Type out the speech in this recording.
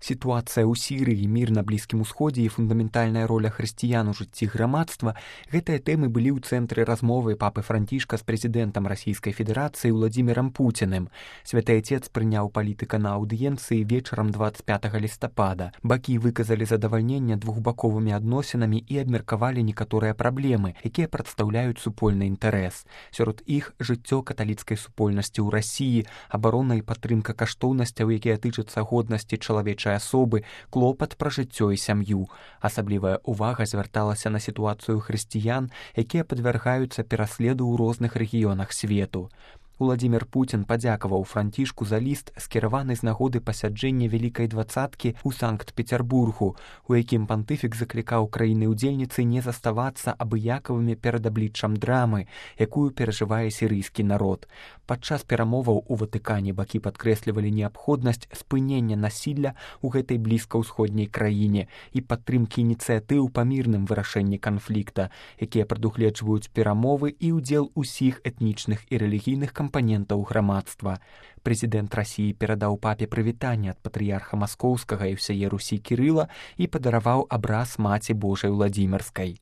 Сітуацыя ў Сірыі, мір на Блізкім Усходзе і фундаментальная роля хрысціян у жыцці грамадства – гэтыя тэмы былі ў цэнтры размовы папы Францішка з прэзідэнтам Расійскай Федэрацыі Владзімірам Пуціным. Святы Отец прыняў палітыка на аўдыенцыі вечарам 25 лістапада. Бакі выказалі задавальненне двухбаковымі адносінамі і абмеркавалі некаторыя праблемы, якія прадстаўляюць супольны інтарэс. Сярод іх жыццё каталіцкай супольнасці ў Расіі, абарона і падтрымка каштоўнасцяў, якія тычацца годнасці чалавечай асобы, клопат пра жыццё і сям'ю. Асаблівая ўвага звярталася на сітуацыю хрысціян, якія падвяргаюцца пераследу ў розных рэгіёнах свету. Уладзімір Пуцін падзякаваў Францішку за ліст, скіраваны з нагоды пасяджэння Вялікай дваццаткі ў Санкт-Пецярбургу, у якім пантыфік заклікаў краіны-удзельніцы не заставацца абыякавымі перад абліччам драмы, якую перажывае сірыйскі народ. Падчас перамоваў у Ватыкане бакі падкрэслівалі неабходнасць спынення насілля ў гэтай блізкаўсходняй краіне і падтрымкі ініцыятыў па мірным вырашэнні канфлікта, якія прадугледжваюць перамовы і ўдзел усіх этнічных і рэлігійных кампанентаў грамадства. Прэзідэнт Расіі перадаў папе прывітанне ад патрыярха Маскоўскага і ўсяе Русі Кірыла і падараваў абраз Маці Божай Уладзімірскай.